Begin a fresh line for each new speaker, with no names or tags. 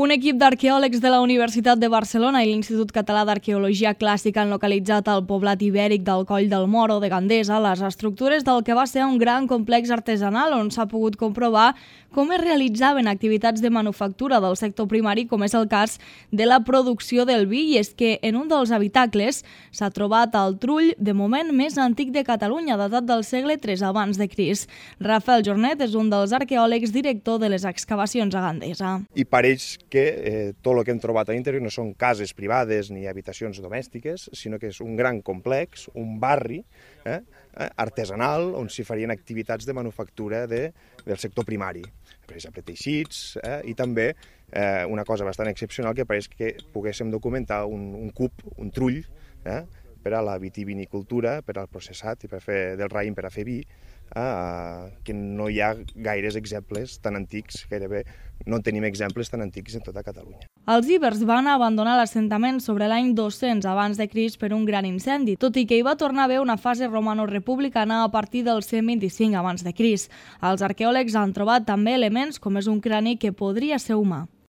Un equip d'arqueòlegs de la Universitat de Barcelona i l'Institut Català d'Arqueologia Clàssica han localitzat al poblat ibèric del Coll del Moro de Gandesa les estructures del que va ser un gran complex artesanal on s'ha pogut comprovar com es realitzaven activitats de manufactura del sector primari, com és el cas de la producció del vi, i és que en un dels habitacles s'ha trobat el trull de moment més antic de Catalunya, datat del segle III abans de Crist. Rafael Jornet és un dels arqueòlegs director de les excavacions a Gandesa.
I pareix que tot el que hem trobat a l'interior no són cases privades ni habitacions domèstiques, sinó que és un gran complex, un barri artesanal on s'hi farien activitats de manufactura del sector primari, per exemple teixits, i també una cosa bastant excepcional que pareix que poguéssim documentar un cub, un trull, per a la vitivinicultura, per al processat i per fer del raïm per a fer vi, que no hi ha gaires exemples tan antics, gairebé no tenim exemples tan antics en tota Catalunya.
Els ibers van abandonar l'assentament sobre l'any 200 abans de Crist per un gran incendi, tot i que hi va tornar a haver una fase romano-republicana a partir del 125 abans de Crist. Els arqueòlegs han trobat també elements com és un crani que podria ser humà.